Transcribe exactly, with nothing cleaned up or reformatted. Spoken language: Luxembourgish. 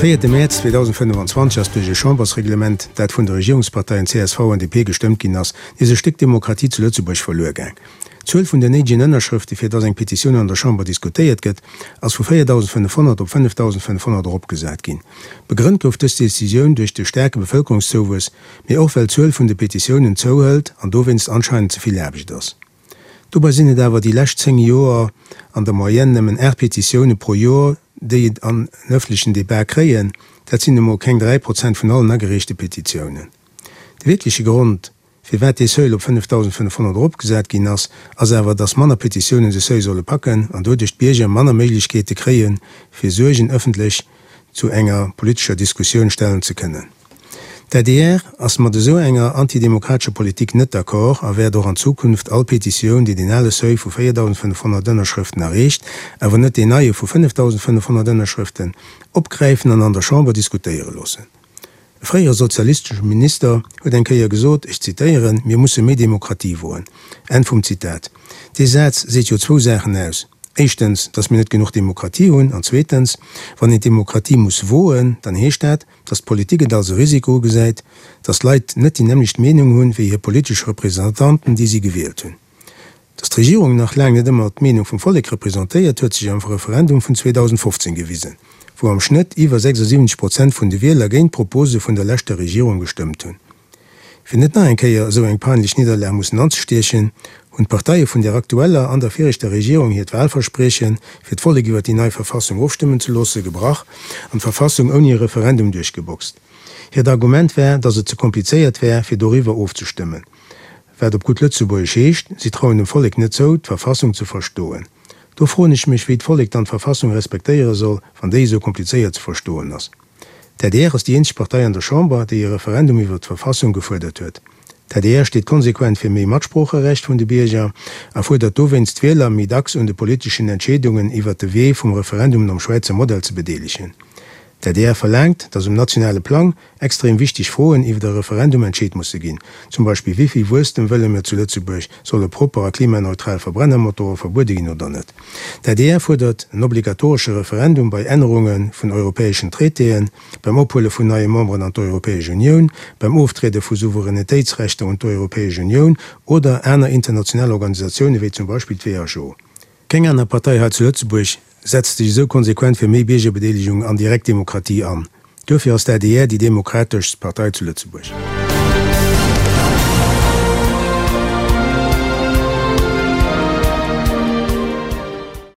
véierte Mäerz zweedausendfënnefanzwanzeg ass duerch e Chambersreglement, dat vun de Regierungsparteien C S V an D P gestëmmt ginn ass, nees e Stéck Demokratie zu Lëtzebuerg verluer gaang. D'Zuel vun den néidegen Ënnerschrëfte fir dass eng Petitioun an der Chamber diskutéiert gëtt, ass vu véierdausendfënnefhonnert op fënnefdausendfënnefhonnert eropgesat ginn. Begrënnt gouf dës Decisioun duerch de staarke Bevëlkerungszouwuess, mee och well d'Zuel vun de Petitiounen zouhëlt an dowéinst anscheinend ze vill Aarbecht ass. Dobei sinn et awer déi lescht zéng Joer an der Moyenne nëmmen aacht Petitioune pro Joer, déi et an en ëffentlechen Debat kréien, dat sinn emol keng dräi Prozent vun allen agereechte Petitiounen. De wierkleche Grond, firwat dee Seuil op fënnefdausendfënnefhonnert eropgesat ginn ass, ass awer, datt manner Petitiounen de Seuil solle packen an doduerch d'Bierger manner Méiglechkeete kréien, fir Suergen ëffentlech zu enger politescher Diskussioun stellen ze kënnen. D'A D R ass mat esou enger antidemokratescher Politik net d'accord a wäert och an Zukunft all Petitioun, déi deen ale Seuil vu véierdausendfënnefhonnert Ënnerschrëften erreecht, awer net deen neie vu fënnefdausendfënnefhonnert Ënnerschrëften, opgräifen an an der Chamber diskutéiere loossen. E fréiere sozialistesche Minister huet eng Kéier gesot, ech zitéieren, Mir musse méi Demokratie woen. Enn vum Zitat. Dee Saz seet jo zwou Saachen aus, éischtens, datt mir net genuch Demokratie hunn, an zweetens, wann een d'Demokratie muss woen, dann heescht dat, datt d'Politik et als e Risiko ugesäit, datt d'Leit net déi nämmlecht Meenung hunn, wéi hir politesch Representanten, déi si gewielt hunn. Datt d'Regierung nach laang net ëmmer d'Meenung vum Vollek representéiert, huet sech am Referendum vun zweedausendfofzéng gewisen, wou am Schnëtt iwwer sechsundsiwwenzeg Prozent vun de Wieler géint d'Propose vun der leschter Regierung gestëmmt hunn. Fir net nach eng Kéier esou eng peinlech Nidderlag mussen anzestiechen, hunn d'Parteie vun der aktueller an der viregter Regierung hiert Wahlverspriechen, fir d'Vollek iwwer déi nei Verfassung ofstëmmen ze loosse, gebrach an d'Verfassung ouni e Referendum duerchgeboxt. Hiert Argument war, datt et ze komplizéiert wär, fir doriwwer ofzestëmmen. Wat op gutt Lëtzebuergesch heescht, si trauen dem Vollek net zou, d'Verfassung ze verstoen. Do froen ech mech, wéi d'Vollek dann d'Verfassung respektéiere soll, wann déi esou komplizéiert ze verstoen ass. D'A D R ass déi eenzeg Partei an der Chamber, déi e Referendum iwwer d'Verfassung gefuerdert huet. D'A D R steet konsequent fir méi Matsproocherecht vun de Bierger a fuerdert dowéinst d'Wieler méi dacks un de politeschen Entscheedungen iwwer de Wee vum Referendum nom Schwäizer Modell ze bedeelegen. D'A D R verlaangt, datt um nationale Plang extrem wichteg Froen iwwer e Referendum entscheet musse ginn, zum Beispill wéi vill Wuesstem wëlle mir zu Lëtzebuerg, solle propper a klimaneutral Verbrennermotore verbuede ginn oder net. D'A D R fuerdert en obligatoresche Referendum bei Ännerunge vun europäeschen Traitéen, beim Ophuele vun neie Memberen an d'Europäesch Unioun, beim Oftriede vu Souveränitéitsrechter un d'Europäesch Unioun oder aner international Organisatioune wéi zum Beispill d'W H O. Keng aner Partei hei zu Lëtzebuerg setzt sech esou konsequent fir méi Biergerbedeelegung an direkt Demokratie an. Duerfir ass d'A D R déi demokrateschst Partei zu Lëtzebuerg.